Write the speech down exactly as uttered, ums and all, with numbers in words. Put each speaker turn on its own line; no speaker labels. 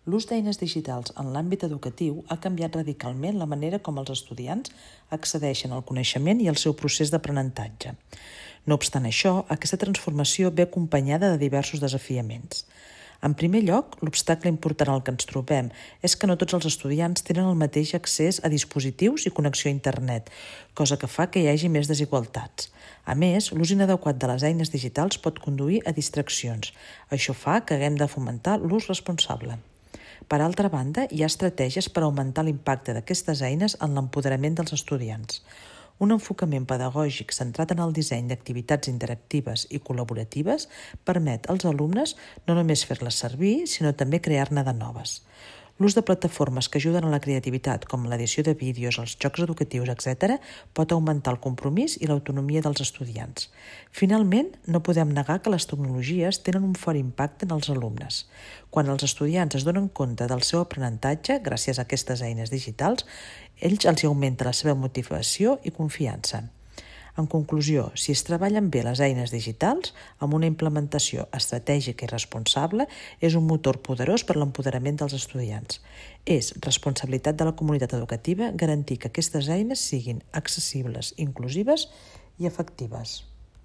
L'ús d'eines digitals en l'àmbit educatiu ha canviat radicalment la manera com els estudiants accedeixen al coneixement i al seu procés d'aprenentatge. No obstant això, aquesta transformació ve acompanyada de diversos desafiaments. En primer lloc, l'obstacle important al que ens trobem és que no tots els estudiants tenen el mateix accés a dispositius i connexió a internet, cosa que fa que hi hagi més desigualtats. A més, l'ús inadequat de les eines digitals pot conduir a distraccions. Això fa que haguem de fomentar l'ús responsable. Per altra banda, hi ha estratègies per augmentar l'impacte d'aquestes eines en l'empoderament dels estudiants. Un enfocament pedagògic centrat en el disseny d'activitats interactives i col·laboratives permet als alumnes no només fer-les servir, sinó també crear-ne de noves. L'ús de plataformes que ajuden a la creativitat, com l'edició de vídeos, els jocs educatius, etcètera, pot augmentar el compromís i l'autonomia dels estudiants. Finalment, no podem negar que les tecnologies tenen un fort impacte en els alumnes. Quan els estudiants es donen compte del seu aprenentatge, gràcies a aquestes eines digitals, ells els augmenta la seva motivació i confiança. En conclusió, si es treballen bé les eines digitals, amb una implementació estratègica i responsable, és un motor poderós per l'empoderament dels estudiants. És responsabilitat de la comunitat educativa garantir que aquestes eines siguin accessibles, inclusives i efectives.